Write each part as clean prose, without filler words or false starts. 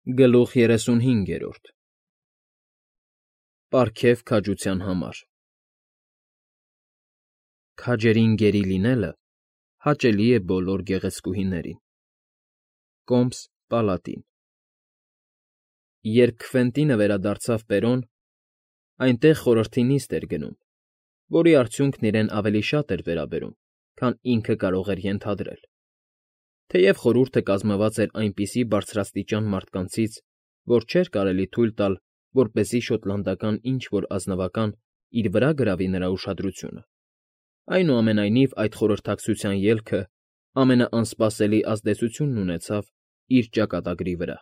Գլուխ 35 Պարգև քաջության համար Քաջերին գերի լինելը հաճելի է բոլոր գեղեցկուհիներին։ Կոմս Պալատին Երբ Քվենտինը վերադարձավ Պերոն, այնտեղ խորհրդի նիստ էր գնում, որի արդյունքն իրեն ավելի շատ էր վերաբերում, քան ինքը կարող էր ենթադրել։ Թեև խորհուրդը կազմված էր այնպիսի բարձրաստիճան մարդկանցից, որ չէր կարելի թույլ տալ, որպեսզի շոտլանդական ինչ֊որ ազնվական իր վրա գրավի նրա ուշադրությունը, այնուամենայնիվ այդ խորհրդակցության ելքը ամենաանսպասելի ազդեցությունն ունեցավ իր ճակատագրի վրա։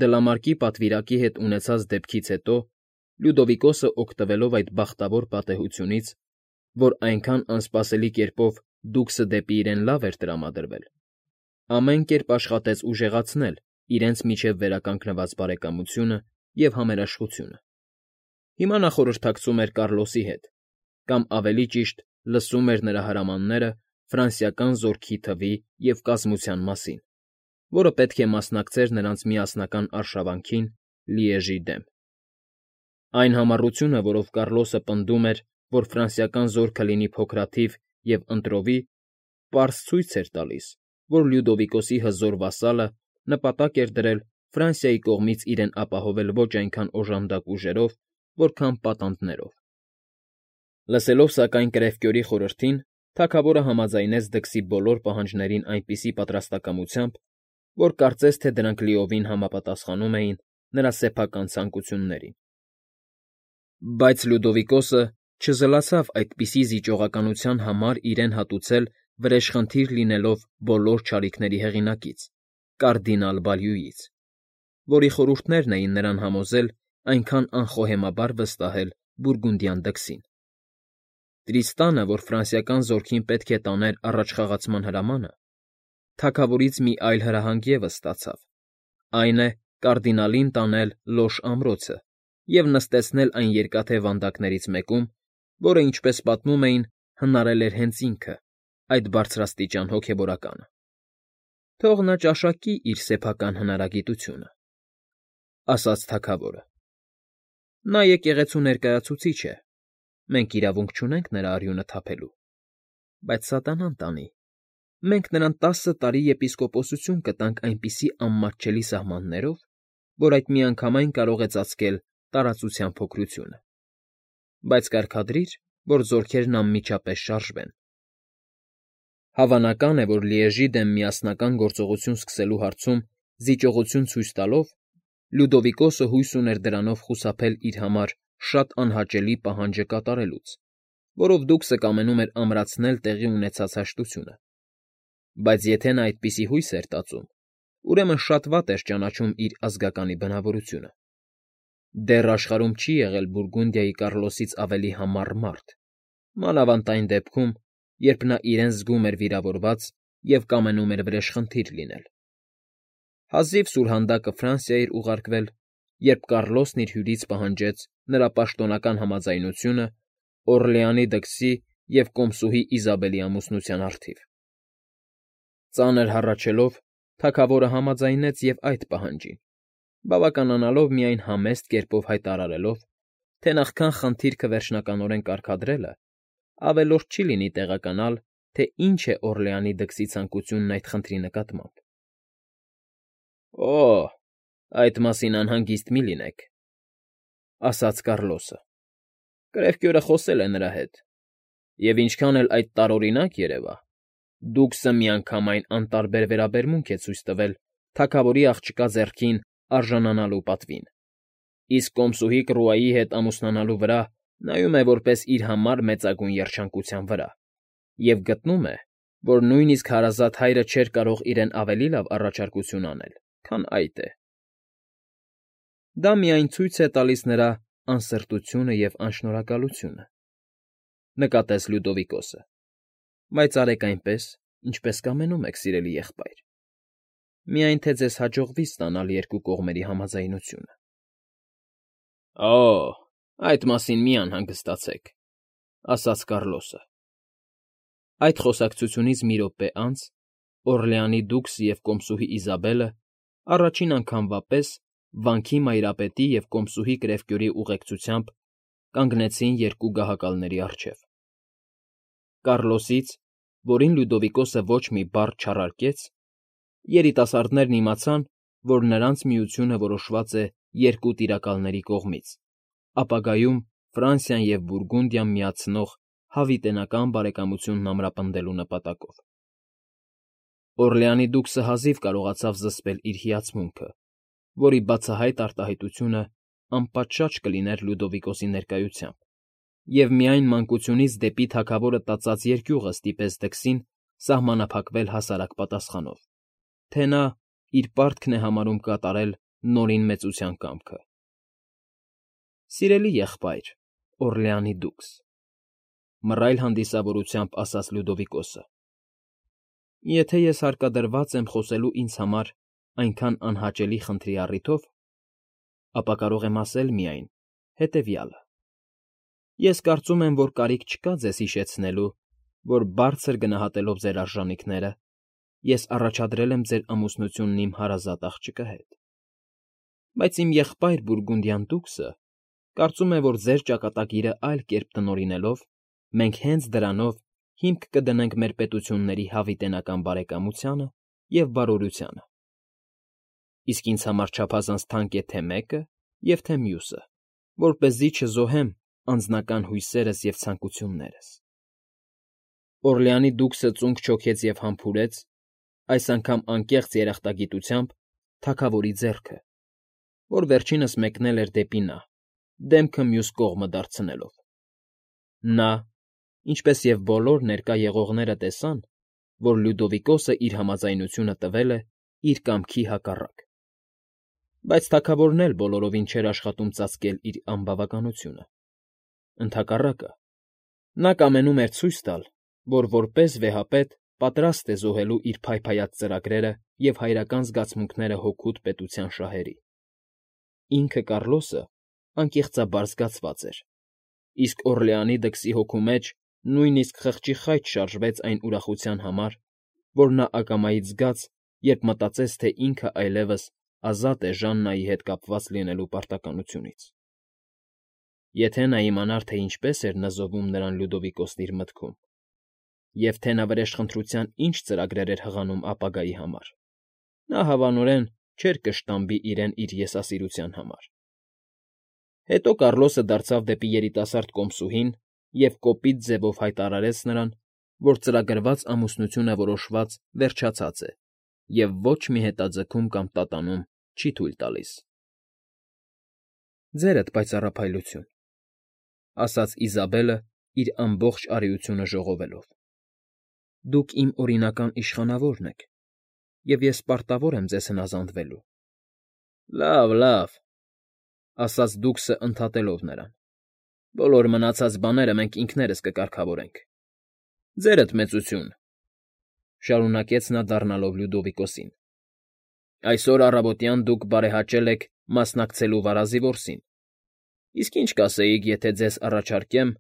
Դլամարկի պատվիրակի հետ ունեցած դեպքից հետո Լյուդովիկոսը օգտվելով այդ բախտավոր պատեհությունից, որ այնքան անսպասելի կերպով դուքսը դեպի իրեն լավ էր տրամադրվել, ամեն կերպ աշխատեց ուժեղացնել իրենց միջև վերականգնված բարեկամությունը և համերաշխությունը։ Հիմա նա խորհրդակցում էր Կառլոսի հետ, կամ ավելի ճիշտ, լսում էր նրա հրամանները ֆրանսիական զորքի թվի և կազմության մասին, որը պետք է մասնակցեր նրանց միասնական արշավանքին Լիեժի դեմ։ Այն համառությունը, որով Կառլոսը պնդում էր, որ ֆրանսիական զորքը լինի փոքրաթիվ և ընտրովի, պարզ ցույց էր տալիս, որ Լյուդովիկոսի հզոր վասալը նպատակ էր դրել Ֆրանսիայի կողմից իրեն ապահովել ոչ այնքան օժանդակ ուժերով, որքան պատանդներով։ Լսելով սակայն Կրևկյորի խորհրդին, թագավորը համաձայնեց դքսի բոլոր պահանջներին այնպիսի պատրաստակամությամբ, որ կարծես թե դրանք լիովին համապատասխանում էին նրա սեփական ցանկություններին։ Բայց Լյուդովիկոսը չզլացավ այդպիսի զիջողականության համար իրեն հատուցել վրեժխնդիր լինելով բոլոր չարիքների հեղինակից՝ կարդինալ Բալյուից, որի խորհուրդներն էին նրան համոզել այնքան անխոհեմաբար վստահել բուրգունդյան դքսին։ Տրիստանը, որ ֆրանսիական զորքին պետք է տաներ առաջխաղացման հրամանը, թագավորից մի այլ հրահանգ ևս ստացավ, այն է, կարդինալին տանել Լոշ ամրոցը և նստեցնել այն երկաթե վանդակներից մեկում, որը, ինչպես պատմում էին, հնարել էր հենց ինքը, այդ բարձրաստիճան հոգևորականը։ Թող նա ճաշակի իր սեփական հնարագիտությունը, ասաց թագավորը։ Նա եկեղեցու ներկայացուցիչ է, մենք իրավունք չունենք նրա արյունը թափելու, բայց սատանան տանի, մենք նրան 10 տարի եպիսկոպոսություն կտանք այնպիսի անմատչելի սահմաններով, որ այդ միանգամայն կարող է ծածկել տարածության փոքրությունը, բայց կարգադրիր, որ զորքերն անմիջապես շարժվեն։ Հավանական է, որ Լիեժի դեմ միասնական գործողություն սկսելու հարցում զիջողություն ցույց տալով, Լյուդովիկոսը հույս ուներ դրանով խուսափել իր համար շատ անհաճելի պահանջը կատարելուց, որով դուքսը կամենում էր ամրացնել տեղի ունեցած հաշտությունը։ Բայց եթե նա այդպիսի հույս էր տածում, ուրեմն շատ վատ էր ճանաչում իր ազգականի բնավորությունը։ Դեռ աշխարհում չի եղել Բուրգունդիայի Կառլոսից ավելի համառ մարդ, մանավանդ այն դեպքում, երբ նա իրեն զգում էր վիրավորված և կամենում էր վրեժխնդիր լինել։ Հազիվ սուրհանդակը Ֆրանսիա էր ուղարկվել, երբ Կառլոսն իր հյուրից պահանջեց նրա պաշտոնական համաձայնությունը Օռլեանի դքսի և կոմսուհի Իզաբելի ամուսնության առթիվ։ Ծանր հառաչելով, թագավորը համաձայնեց և այդ պահանջին, բավականանալով միայն համեստ կերպով հայտարարելով, թե նախքան խնդիրքը վերջնականորեն կարգադրելը, ավելորդ չի լինի տեղեկանալ, թե ինչ է Օռլեանի դքսի ցանկությունն այդ խնդրի նկատմամբ։ Օ՜, այդ մասին անհանգիստ մի լինեք, ասաց Կառլոսը։ Կրևկյորը խոսել է նրա հետ, և ինչքան էլ այդ տարօրինակ երևա, դուքսը միանգամայն անտարբեր վերաբերմունք է ցույց տվել թագավորի աղջկա ձեռքին արժանանալու պատվին, իսկ կոմսուհի Կռուայի հետ ամուսնանալու վրա նայում է որպես իր համար մեծագույն երջանկության վրա և գտնում է, որ նույնիսկ հարազատ հայրը չէր կարող իրեն ավելի լավ առաջարկություն անել, քան այդ է։ Դա միայն ցույց է տալիս նրա անսրտությունը և անշնորհակալությունը, նկատեց Լյուդովիկոսը, բայց արեք այնպես, ինչպես կամենում եք, սիրելի եղբայր, միայն թե ձեզ հաջողվի ստանալ երկու կողմերի համաձայնությունը։ Օ՜, այդ մասին մի անհանգստացեք, ասաց Կառլոսը։ Այդ խոսակցությունից մի րոպե անց Օռլեանի դուքսը և կոմսուհի Իզաբելը առաջին անգամվա պես վանքի մայրապետի և կոմսուհի կրևկյուրի ուղեկցությամբ կանգնեցին երկու գահակալների առջև։ Կառլոսից, որին Լյուդովիկոսը ոչ մի բառ չառարկեց, երիտասարդներն իմացան, որ նրանց միությունը որոշված է երկու տիրակալների կողմից, ապագայում Ֆրանսիան և Բուրգունդիան միացնող հավիտենական բարեկամությունն ամրապնդելու նպատակով։ Օրլեանի դուքսը հազիվ կարողացավ զսպել իր հիացմունքը, որի բացահայտ արտահայտությունը անպատշաճ կլիներ Լյուդովիկոսի ներկայությամբ, և միայն մանկությունից դեպի թագավորը տածած երկյուղը ստիպեց դքսին սահմանափակվել հասարակ պատասխանով, թե նա իր պարտքն է համարում կատարել Նորին մեծության կամքը։ «Սիրելի եղբայր, Օրլեանի դուքս,֊ մռայլ հանդիսավորությամբ ասաց Լյուդովիկոսը,֊ եթե ես հարկադրված եմ խոսելու ինձ համար այնքան անհաճելի խնդրի առիթով, ապա կարող եմ ասել միայն հետևյալը. ես կարծում եմ, որ կարիք չկա ձեզ հիշեցնելու, որ բարձր գնահատելով ձեր արժանիքները, ես առաջադրել եմ ձեր ամուսնությունն իմ հարազատ աղջկա հետ, բայց իմ եղբայր Բուրգունդիան դուքսը կարծում է, որ ձեր ճակատագիրը այլ կերպ տնօրինելով, մենք հենց դրանով հիմք կդնենք մեր պետությունների հավիտենական բարեկամությանը և բարօրությանը։ Իսկ ինձ համար չափազանց թանկ է թե մեկը և թե մյուսը, որպեսզի չզոհեմ անձնական հույսերս և ցանկություններս։ Օրլեանի դուքսը ծունկ չոքեց և համբուրեց, այս անգամ անկեղծ երախտագիտությամբ, թագավորի ձեռքը, որ վերջինս մեկնել էր դեպի նա, դեմքը մյուս կողմը դարձնելով։ Նա, ինչպես և բոլոր ներկա եղողները տեսան, որ Լյուդովիկոսը իր համաձայնությունը տվել է իր կամքի հակառակ, բայց թագավորն էլ բոլորովին չէր աշխատում ծածկել իր անբավականությունը։ Ընդհակառակը, նա կամենում էր ցույց տալ, որ որպես վեհապետ պատրաստ է զոհելու իր փայփայած ծրագրերը և հայրական զգացմունքները հօգուտ պետության շահերի։ Ինքը Կառլոսը անկեղծաբար զգացված էր, իսկ Օրլեանի դքսի հոգու մեջ նույնիսկ խղճի խայծ շարժվեց այն ուրախության համար, որ նա ակամայից զգաց, երբ մտածեց, թե ինքը այլևս ազատ է Ժաննայի հետ կապված լինելու պարտականությունից։ Եթե նա իմանար, թե ինչպես էր նզովում նրան Լյուդովիկոսն իր մտքում, և թե նա վրեժխնդրության ինչ ծրագրեր էր հղանում ապագայի համար, նա հավանորեն չէր կշտամբի իրեն իր եսասիրության համար։ Հետո Կառլոսը դարձավ դեպի երիտասարդ կոմսուհին և կոպիտ ձևով հայտարարեց նրան, որ ծրագրված ամուսնությունը որոշված վերջացած է և ոչ մի հետաձգում կամ տատանում չի թույլ տալիս։ «Ձերդ պայծառափայլություն,֊ ասաց Իզաբելը իր ամբողջ արիությունը ժողովելով,֊ դուք իմ օրինական իշխանավորն եք, և ես պարտավոր եմ ձեզ հնազանդվելու»։ «Լավ, լավ,֊ ասաց դուքսը ընդհատելով նրան,֊ բոլոր մնացած բաները մենք ինքներս կկարգավորենք։ Ձերդ մեծություն,֊ շարունակեց նա դառնալով Լյուդովիկոսին,֊ այսօր առավոտյան դուք բարեհաճել եք մասնակցելու վարազի որսին, իսկ ինչ կասեիք, եթե ձեզ առաջարկեմ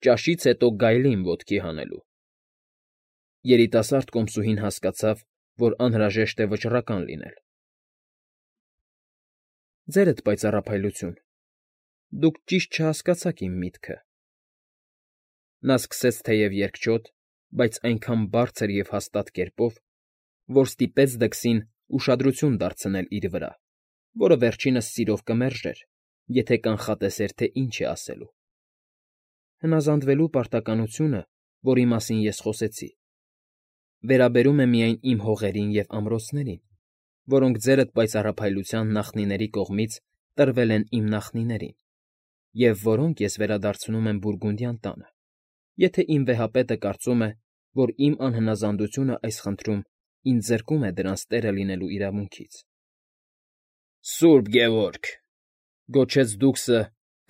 ճաշից հետո գայլին ոտքի հանելու։ Երիտասարդ կոմսուհին հասկացավ, որ անհրաժեշտ է վճռական լինել։ «Ձերդ պայծառափայլություն, դուք ճիշտ չհասկացաք իմ միտքը,֊ նա սկսեց թեև երկչոտ, բայց այնքան բարձր և հաստատ կերպով, որ ստիպեց դքսին ուշադրություն դարձնել իր վրա, որը վերջինս սիրով կմերժեր, եթե կանխատեսեր, թե ինչ է ասելու,֊ հնազանդվելու պարտականությունը, որի մասին ես խոսեցի, վերաբերում է միայն իմ հողերին և ամրոցներին, որոնք ձերդ պայծառափայլության նախնիների կողմից տրվել են իմ նախնիներին, և որոնք ես վերադարձնում եմ Բուրգունդյան տանը, եթե իմ վեհապետը կարծում է, որ իմ անհնազանդությունը այս խնդրում ինձ զրկում է դրանց տերը լինելու իրավունքից»։ «Սուրբ Գևորգ,֊ գոչեց դուքսը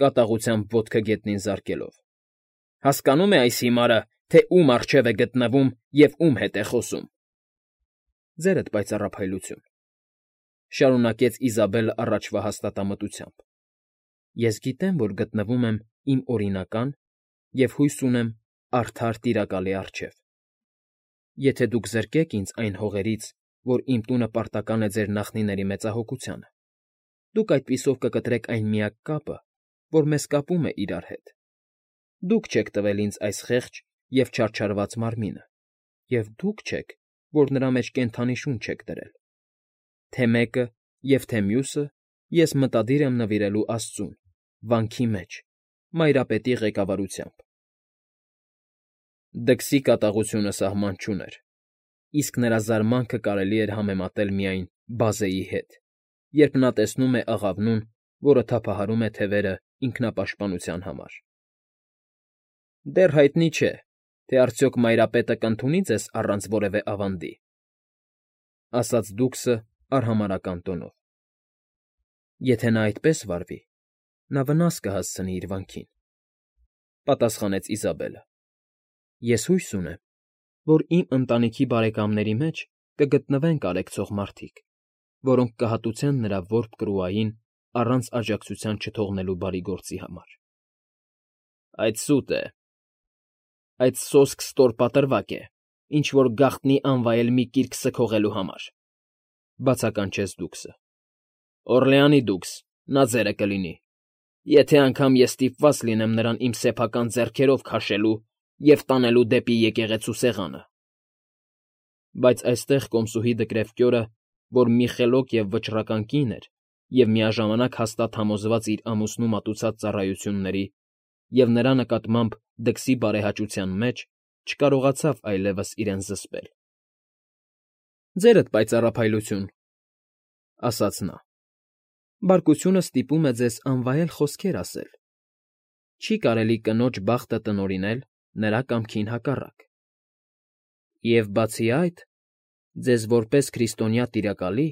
կատաղությամբ ոտքը գետնին զարկելով,֊ հասկանո՞ւմ է այս հիմարը, թե ում առջև է գտնվում և ում հետ է խոսում»։ «Ձերդ պայծառափայլություն,֊ շարունակեց Իզաբելը առաջվա հաստատամտությամբ,֊ ես գիտեմ, որ գտնվում եմ իմ օրինական և, հույս ունեմ, արդար տիրակալի առջև։ Եթե դուք զրկեք ինձ այն հողերից, որ իմ տունը պարտական է ձեր նախնիների մեծահոգությանը։ Դուք այդպիսով կկտրեք այն միակ կապը, որ մեզ կապում է իրար հետ։ Դուք չեք տվել ինձ այս խեղճ և չարչարված մարմինը, և դուք չեք, որ նրա մեջ կենդանի շունչ եք դրել։ Թե մեկը և թե մյուսը ես մտադիր եմ նվիրելու աստծուն, վանքի մեջ, Մայրապետի ղեկավարությամբ։ Դքսի կատաղությունը սահման չուներ, իսկ նրա զարմանքը կարելի էր համեմատել միայն բազեի հետ, երբ նա տեսնում է աղավնուն, որը թափահարում է թևերը ինքնապաշտպանության համար։ Դեռ հայտնի չէ, թե արդյոք Մայրապետը կընդունի ձեզ առանց որևէ ավանդի, ասաց Դուքսը արհամարհական տոնով։ Եթե նա այդպես վարվի, նա վնաս կհասցնի իր վանքին, պատասխանեց Իզաբելը։ Ես հույս ունեմ, որ իմ ընտանիքի բարեկամների մեջ կգտնվեն կարեկցող մարդիկ, որոնք կհատուցեն նրա որբ Կրուային առանց աջակցության չթողնելու բարի գործի համար։ Այդ սուտ է, այդ սոսկ ստորպատրվակ է, ինչ֊որ գաղտնի անվայել մի կիրք սգողելու համար, բացականչեց Դուքսը։ Օրլեանի դուքս, նա ձերը կլինի, եթե անգամ ես ստիպված լինեմ նրան իմ սեփական ձեռքերով քաշելու և տանելու դեպի եկեղեցու սեղանը։ Բայց այստեղ կոմսուհի դկրեվկյորը, որ մի խելոք և վճռական կին էր և միաժամանակ հաստատ համոզված իր ամուսնու մատուցած ծառայությունների և նրա նկատմամբ դքսի բարեհաճության մեջ, չկարողացավ այլևս իրեն զսպել։ Ձերդ պայծառափայլություն, ասաց նա, բարկությունը ստիպում է ձեզ անվայել խոսքեր ասել։ Չի կարելի կնոջ բախտը տնօրինել նրա կամքին հակառակ։ Եվ բացի այդ, ձեզ որպես քրիստոնյա տիրակալի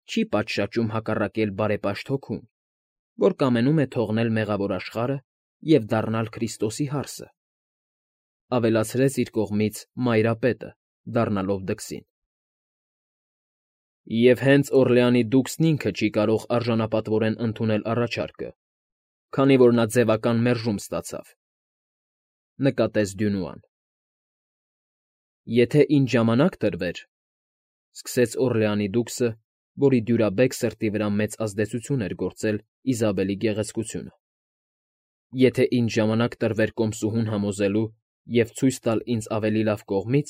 չի պատշաճում հակառակել բարեպաշտ հոգուն, որ կամենում է թողնել մեղավոր աշխարհը և դառնալ Քրիստոսի հարսը, ավելացրեց իր կողմից Մայրապետը, դառնալով դքսին։ Եվ հենց Օրլեանի դուքսն ինքը չի կարող արժանապատվորեն ընդունել առաջարկը, քանի որ նա ձևական մերժում ստացավ, նկատեց Դյունուան։ Եթե ինձ ժամանակ տրվեր, սկսեց Օրլեանի դուքսը, որի դյուրաբեկ սրտի վրա մեծ ազդեցություն էր գործել Իզաբելի գեղեցկությունը։ Եթե ինձ ժամանակ տրվեր կոմսուհուն համոզելու և ցույց տալ ինձ ավելի լավ կողմից,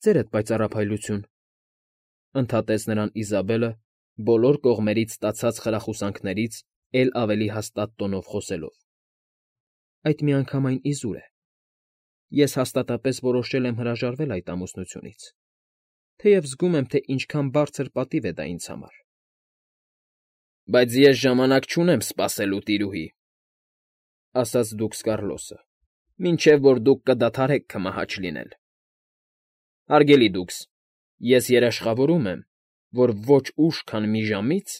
ձերդ պայծառափայլություն, ընդհատեց նրան Իզաբելը, բոլոր կողմերից ստացած խրախուսանքներից էլ ավելի հաստատ տոնով խոսելով։ Այդ միանգամայն իզուր է։ Ես հաստատապես որոշել եմ հրաժարվել այդ ամուսնությունից, թեև զգում եմ, թե ինչքան բարձր պատիվ է դա ինձ համար։ Բայց ես ժամանակ չունեմ սպասելու, տիրուհի, ասաց դուքս Կառլոսը, մինչև որ դուք կդադարեք քմահաճ լինել։ Հարգելի դուքս, ես երաշխավորում եմ, որ ոչ ուշ, քան մի ժամից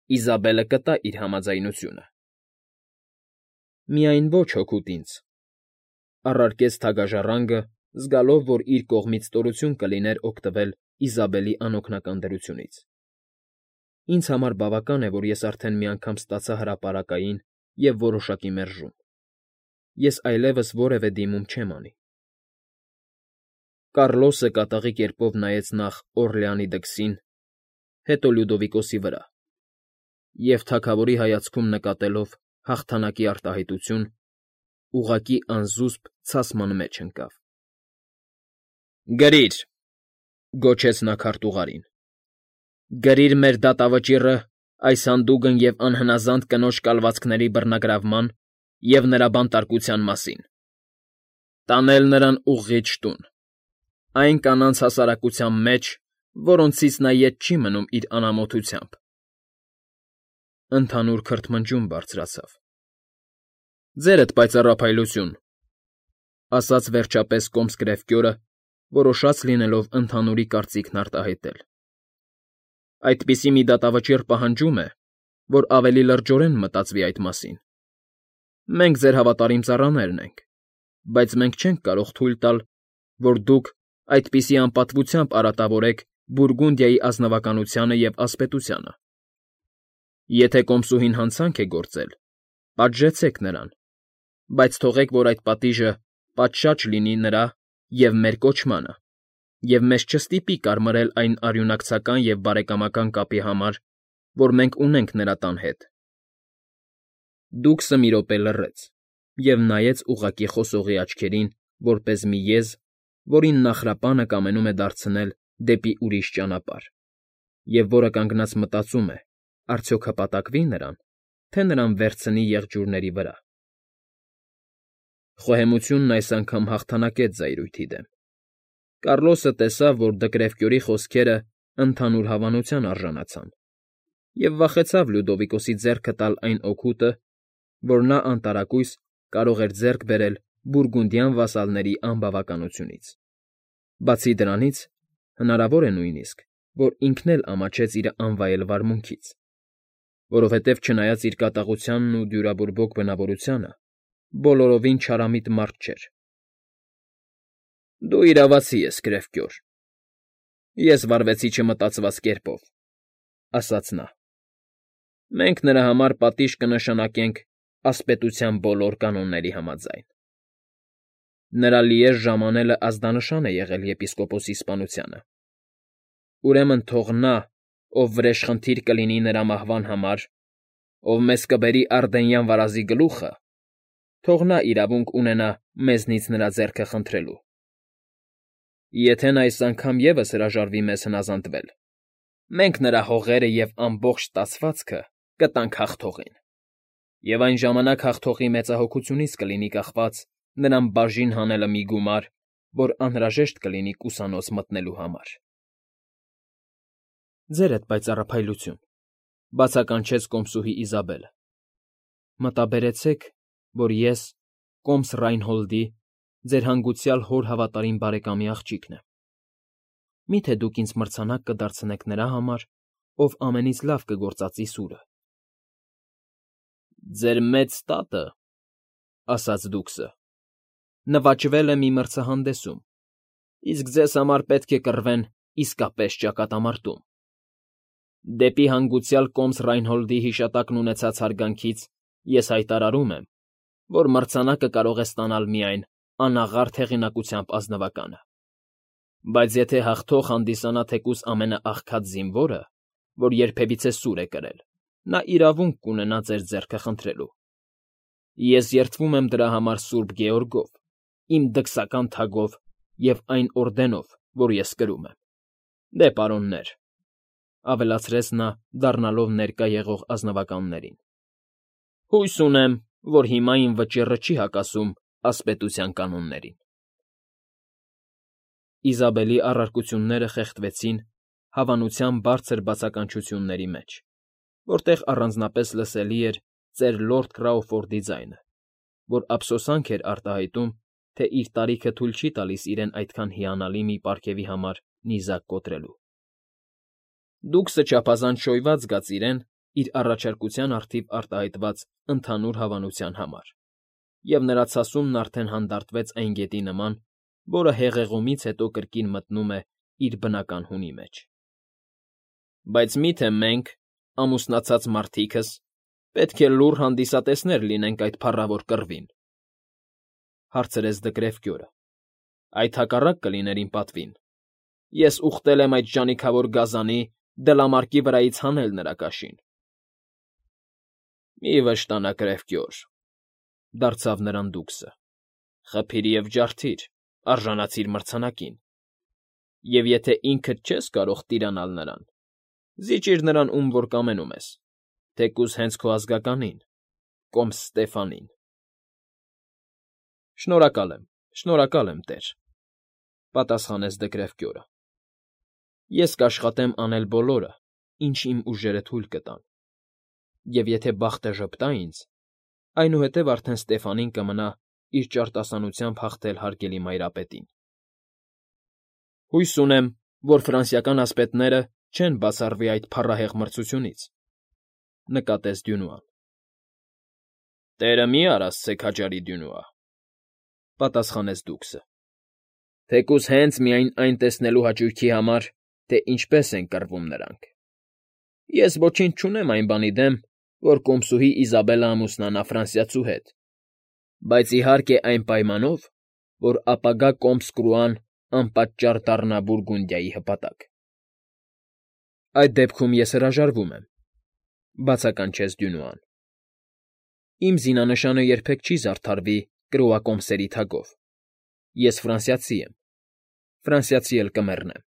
Իզաբելը կտա իր համաձայնությունը։ Միայն ոչ հօգուտ ինձ, առարկեց թագաժառանգը, զգալով, որ իր կողմից ստորություն կլիներ օգտվել Իզաբելի անօգնական դրությունից։ Ինձ համար բավական է, որ ես արդեն մի անգամ ստացա հրապարակային և որոշակի մերժում։ Ես այլևս որևէ դիմում չեմ անի։ Կառլոսը կատաղի կերպով նայեց նախ Օրլեանի դքսին, հետո Լյուդովիկոսի վրա, և թագավորի հայացքում նկատելով հաղթանակի արտահայտություն, ուղղակի անզուսպ ցասման մեջ ընկավ։ Գրիր, գոչեց նա քարտուղարին, գրիր մեր դատավճիռը այս հանդուգն և անհնազանդ կնոջ կալվածքների բռնագրավման և նրա բանտարկության մասին։ Տանել նրան ուղղիչ տուն, այն կանանց հասարակության մեջ, որոնցից նա ետ չի մնում իր անամոթությամբ։ Ընդհանուր քրթմնջում բարձրացավ։ Ձերդ պայծառափայլություն, ասաց վերջապես կոմս կրևկյորը, որոշած լինելով ընդհանուրի կարծիքն արտահայտել։ Այդպիսի մի դատավճիռ պահանջում է, որ ավելի լրջորեն մտածվի այդ մասին։ Մենք ձեր հավատարիմ ծառաներն ենք, բայց մենք չենք կարող թույլ տալ, որ դուք այդպիսի անպատվությամբ արատավորեք Բուրգունդիայի ազնվականությանը և ասպետությանը։ Եթե կոմսուհին հանցանք է գործել, պատժեցեք նրան, բայց թողեք, որ այդ պատիժը պատշաճ լինի նրա և մեր կոչմանը, և մեզ չստիպի կարմարել այն արյունակցական և բարեկամական կապի համար, որ մենք ունենք նրա տան հետ։ Դուքսը մի րոպե լռեց և նայեց ուղղակի խոսողի աչքերին, որպես մի եզ, որին նախրապանը կամենում է դարձնել դեպի ուրիշ ճանապարհ, և որը կանգնած մտածում է. արդյոք հպատակվի՞ նրան, թե նրան վերցնի եղջյուրների վրա։ Խոհեմությունն այս անգամ հաղթանակեց զայրույթի դեմ։ Կառլոսը տեսավ, որ Դկրևկյորի խոսքերը ընդհանուր հավանության արժանացան, և վախեցավ Լյուդովիկոսի ձեռքը տալ այն օգուտը, որ նա անտարակույս կարող էր ձեռք բերել բուրգունդյան վասալների անբավականությունից։ Բացի դրանից, հնարավոր է նույնիսկ, որ ինքն էլ ամաչեց իր անվայել վարմունքից, որովհետև չնայած իր կատաղությանն ու դյուրաբուրբոք բնավորությանը, բոլորովին չարամիտ մարդ չէր։ Դու իրավացի ես, Կրևկյոր, ես վարվեցի չմտածված կերպով, ասաց նա։ Մենք նրա համար պատիժ կնշանակենք ասպետության բոլոր կանոնների համաձայն։ Նրա լիեժ ժամանելը ազդանշան է եղել եպիսկոպոսի սպանությանը։ Ուրեմն թող նա, ով վրեժխնդիր կլինի նրա մահվան համար, ով մեզ կբերի Արդենյան վարազի գլուխը, թող նա իրավունք ունենա մեզնից նրա ձեռքը խնդրելու։ Եթե նա այս անգամ ևս հրաժարվի մեզ հնազանդվել, մենք նրա հողերը և ամբողջ ստացվածքը կտանք հաղթողին, և այն ժամանակ հաղթողի մեծահոգությունից կլինի կախված նրան բաժին հանելը մի գումար, որ անհրաժեշտ կլինի կուսանոց մտնելու համար։ Ձերդ պայծառափայլություն, բացականչեց կոմսուհի Իզաբելը, մտաբերեցեք, որ ես, կոմս Ռայնհոլդի, ձեր հանգուցյալ հոր հավատարիմ բարեկամի աղջիկն եմ։ Մի՞թե դուք ինձ մրցանակ կդարձնեք նրա համար, ով ամենից լավ կգործածի սուրը։ Ձեր մեծ տատը, ասաց դուքսը, նվաճվել է մի մրցահանդեսում, իսկ ձեզ համար պետք է կռվեն իսկապես ճակատամարտում։ Դեպի հանգուցյալ կոմս Ռայնհոլդի հիշատակն ունեցած հարգանքից ես հայտարարում եմ, որ մրցանակը կարող է ստանալ միայն անաղարտ հեղինակությամբ ազնվականը։ Բայց եթե հաղթող հանդիսանա թեկուզ ամենաաղքատ զինվորը, որ երբևիցե սուր է կրել, նա իրավունք կունենա ձեր ձեռքը խնդրելու։ Ես երդվում եմ դրա համար Սուրբ Գեորգով, իմ դքսական թագով և այն օրդենով, որ ես կրում եմ։ Դե, պարոններ, ավելացրեց նա, դառնալով ներկա եղող ազնվականներին, հույս ունեմ, որ հիմա իմ վճիռը չի հակասում ասպետության կանոններին։ Իզաբելի առարկությունները խեղդվեցին հավանության բարձր բացականչությունների մեջ, որտեղ առանձնապես լսելի էր ծեր լորդ Կրաուֆորդի ձայնը, որ ափսոսանք էր արտահայտում, թե իր տարիքը թույլ չի տալիս իրեն այդքան հիանալի մի պարգևի համար նիզակ կոտրելու։ Դուքսը չափազանց շոյված զգաց իրեն իր առաջարկության առթիվ արտահայտված ընդհանուր հավանության համար, և նրա ցասումն արդեն հանդարտվեց այն գետի նման, որը հեղեղումից հետո կրկին մտնում է իր բնական հունի մեջ։ Բայց մի՞թե մենք, ամուսնացած մարդիկս, պետք է լուռ հանդիսատեսներ լինենք այդ փառավոր կռվին, հարցրեց Դկրևկյորը։ Այդ հակառակ կլիներ իմ պատվին։ Ես ուխտել եմ այդ ժանիքավոր գազանի դլամարկի վրայից հանել նրա կաշին։ Մի վշտանա, Կրևկյոր, դարձավ նրան դուքսը, խփիր և ջարդիր, արժանացիր մրցանակին, և եթե ինքդ չես կարող տիրանալ նրան, զիջիր նրան ում որ կամենում ես, թեկուզ հենց քո ազգականին, կոմս Ստեֆանին։ Շնորհակալ եմ, տեր, պատասխանեց Դկրևկյորը։ Ես կաշխատեմ անել բոլորը, ինչ իմ ուժերը թույլ կտան, և եթե բախտը ժպտա ինձ, այնուհետև արդեն Ստեֆանին կմնա իր ճարտասանությամբ հաղթել հարգելի մայրապետին։ Հույս ունեմ, որ ֆրանսիական ասպետները չեն բացառվի այդ փառահեղ մրցությունից, նկատեց Դյունուան։ Տերը մի արասցե քաջարի, Դյունուա, պատասխանեց դուքսը, թեկուզ հենց միայն այն տեսնելու հաճույքի համար, թե ինչպես են կռվում նրանք։ Ես ոչինչ չունեմ այն բանի դեմ, որ կոմսուհի Իզաբելը ամուսնանա ֆրանսիացու հետ, բայց իհարկե այն պայմանով, որ ապագա կոմս Կրուան անպատճառ դառնա Բուրգունդիայի հպատակ։ Այդ դեպքում ես հրաժարվում եմ, բացականչեց Դյունուան։ Իմ զինանշանը երբեք չի զարդարվի կրոակոմսերի թագով։ Ես ֆրանսիացի եմ, ֆրանսիացի էլ կմեռնեմ։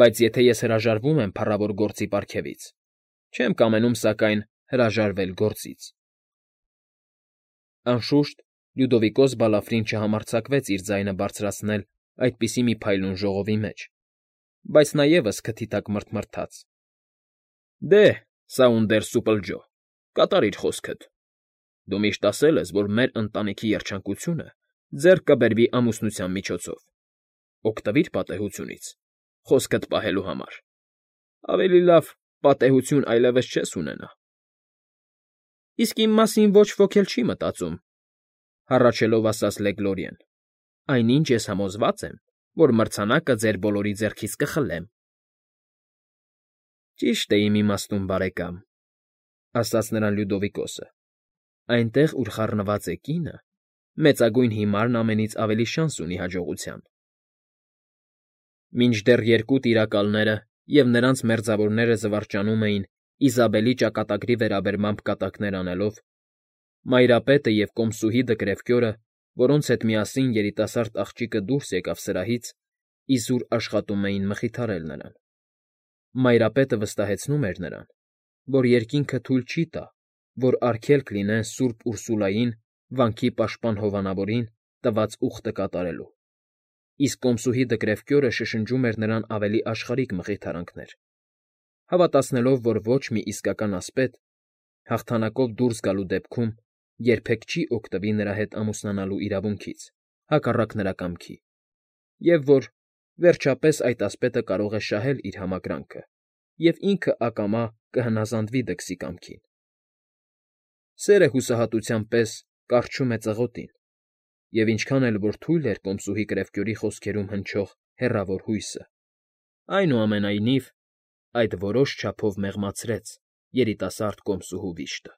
Բայց եթե ես հրաժարվում եմ փառավոր գործի պարգևից, չեմ կամենում, սակայն, հրաժարվել գործից։ Անշուշտ Լյուդովիկոս Բալաֆրին չհամարձակվեց իր ձայնը բարձրացնել այդպիսի մի փայլուն ժողովի մեջ, բայց նա ևս քթի տակ մռթմռթաց։ Դե, Սաունդերս Սուպլջո, կատարիր խոսքդ։ Դու միշտ ասել ես, որ մեր ընտանիքի երջանկությունը ձեռք կբերվի ամուսնության միջոցով։ Օգտվիր պատեհությունից, խոսքդ պահելու համար։ Ավելի լավ պատեհություն այլևս չես ունենա։ Իսկ իմ մասին ոչ ոք էլ չի մտածում, հառաչելով ասաց Լեգլորիեն։ Այնինչ ես համոզված եմ, որ մրցանակը ձեր բոլորի ձեռքից կխլեմ։ Ճիշտ է իմ իմաստուն բարեկամ, ասաց նրան Լյուդովիկոսը։ Այնտեղ, ուր խառնված է կինը, մեծագույն հիմարն ամենից ավելի շանս ունի հաջողության։ Մինչդեռ երկու տիրակալները և նրանց մերձավորները զվարճանում էին Իզաբելի ճակատագրի վերաբերմամբ կատակներ անելով, Մայրապետը և կոմսուհի Դկրևկյորը, որոնց հետ միասին երիտասարդ աղջիկը դուրս եկավ սրահից, իզուր աշխատում էին մխիթարել նրան։ Մայրապետը վստահեցնում էր նրան, որ երկինքը թույլ չի տա, որ արգելք լինեն սուրբ Ուրսուլային, վանքի պաշտպան հովանավորին, տված ուխտը կատարելու, իսկ կոմսուհի Դկրևկյորը շշնջում էր նրան ավելի աշխարհիկ մխիթարանքներ, հավատացնելով, որ ոչ մի իսկական ասպետ, հաղթանակով դուրս գալու դեպքում երբեք չի օգտվի նրա հետ ամուսնանալու իրավունքից, հակառակ նրա կամքի, և որ, վերջապես, այդ ասպետը կարող է շահել իր համակրանքը և ինքը ակամա կհնազանդվի դքսի կամքին։ Սերը հուսահատության պես կառչում է ծղոտին, և ինչքան էլ որ թույլ էր կոմսուհի Կրևկյորի խոսքերում հնչող հեռավոր հույսը, այնուամենայնիվ այդ որոշ չափով մեղմացրեց երիտասարդ կոմսուհու վիշտը։